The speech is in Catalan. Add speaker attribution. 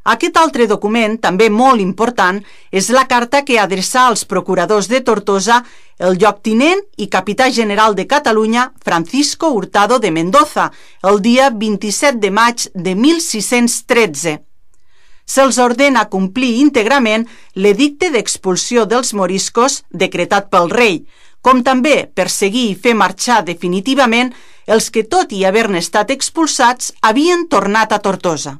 Speaker 1: Aquest altre document, també molt important, és la carta que adreçà als procuradors de Tortosa el lloctinent i capità general de Catalunya Francisco Hurtado de Mendoza el dia 27 de maig de 1613. Se'ls ordena complir íntegrament l'edicte d'expulsió dels moriscos decretat pel rei, com també perseguir i fer marxar definitivament els que, tot i haver-ne estat expulsats, havien tornat a Tortosa.